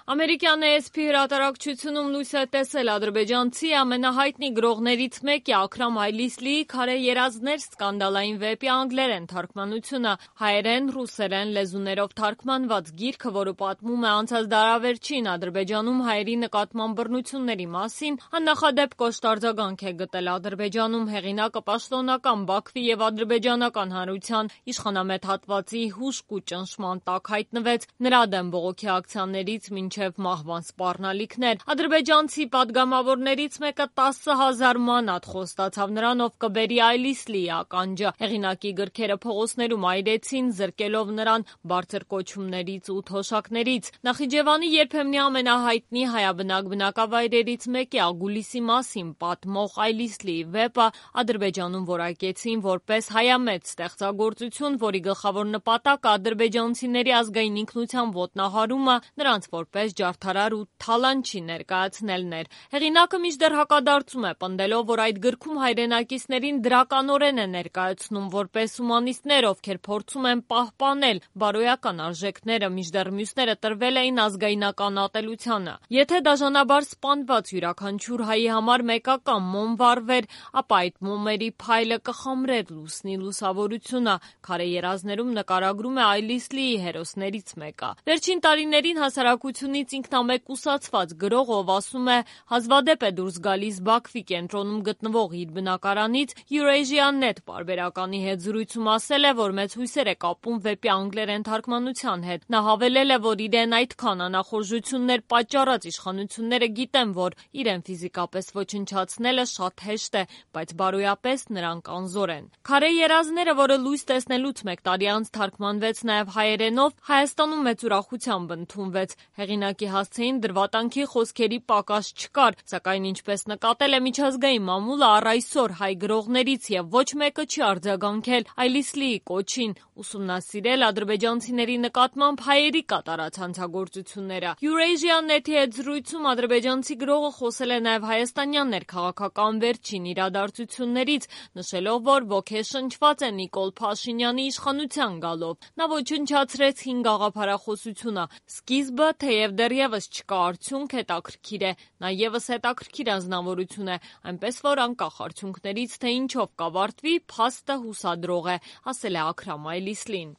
Ամերիկյան ASP հրատարակչությունում լույս է տեսել ադրբեջանցի ամենահայտնի գրողներից մեկի Աքրամ Հայլիսլիի «Քարե երազներ» սկանդալային վեպի անգլերեն թարգմանությունը, հայերեն, ռուսերեն լեզուներով թարգմանված գիրքը, որը պատմում է անցած դարավերջին Ադրբեջանում հայերի նկատմամբ բռնությունների մասին, աննախադեպ կոշտ արձագանք է գտել Ադրբեջանում։ Հեղինակը պաշտոնական Բաքվի և ադրբեջանական հանրության իշխանամետ հատվածի հուժկ ու ճնշման տակ հայտնվեց, նրա դեմ բողոքի ակցիաներից մինչև մահվան սպառնալիքներ։ Ադրբեջանցի պատգամավորներից մեկը 10,000 մանաթ խոստացավ նրան, ով կբերի Այլիսլիի ականջը։ Հեղինակի գրքերը փողոցներում այրեցին, զրկելով նրան բարձր կոչումներից ու թոշակներից։ Նախիջևանի երբեմնի ամենահայտնի հայաբնակ բնակավայրերից մեկի Ագուլիսի մասին պատմող Այլիսլիի վեպը Ադրբեջանում որակեցին որպես հայամետ ստեղծագործություն, որի գլխավոր նպատակը ադրբեջանցիների ազգային ինքնության ոտնահարումը, նրանց որպես ջարդարար ու թալանչի ներկայացնելն էր։ Հեղինակը մինչդեռ հակադարձում է, պնդելով, որ այդ գրքում հայրենակիցներին դրականորեն է ներկայացնում որպես հումանիստներ, ովքեր փորձում են պահպանել բարոյական արժեքները, մինչդեռ մյուսները տրվել էին ազգայնական ատելությանը։ Եթե դաժանաբար սպանված յուրաքանչյուր հայի համար մեկական մոմ վառվեր, ապա այդ մոմերի փայլը կխամրեր լուսնի լուսավորությունը։ Քարե երազներում նկարագրում է Այլիսլիի հերոսներից մեկը։ Վերջին տարիներին հասարակությունից ինքնամեկուսացված գրող, ով ասում է հազվադեպ է դուրս գալիս Բաքվի կենտրոնում գտնվող իր բնակարանից, Eurasia.net պարբերականի հետ զրույցում ասել է, որ մեծ հույսեր է կապում վեպի անգլերեն թարգմանության հետ։ Նա հավելել է, որ իրեն այդքան անախորժություններ պատճառած իշխանությունները գիտեն, որ իրեն ֆիզիկապես ոչնչացնելը շատ հեշտ է, բայց բարոյապես նրանք անզոր են։ Քարե երազները, որը լույս տեսնելուց մեկ տարի անց թարգմանվեց նաև հայերենով, Հայաստանում մեծ ուրախությամբ ընդունվեց։ Հեղինակի հասցեին դրվատանքի խոսքերի պակաս չկար, սակայն ինչպես նկատել է միջազգային մամուլը, առ այսօր հայ գրողներից և ոչ մեկը չի արձագանքել Այլիսլիի կոչին ուսումնասիրել ադրբեջանցիների նկատմամբ հայերի կատարած հանցագործությունները։ Eurasia.net-ի հետ զրույցում ադրբեջանցի գրողը խոսել է նաև հայաստանյան ներքաղաքական վերջին իրադարձություններից, նշելով, որ ոգեշնչված է Նիկոլ Փաշինյանի իշխանության գալով։ Նա ոչնչացրեց 5 գաղափարախոսությունը։ Սկիզբը, թեև դեռևս չկա արդյունք, հետաքրքիր է։ Նա ևս հետաքրքիր անձնավորություն է, այնպես որ անկախ արդյունքներից, թե ինչով կավարտվի, փաստը հուսադրող է, ասել է Աքրամ Այլիսլին։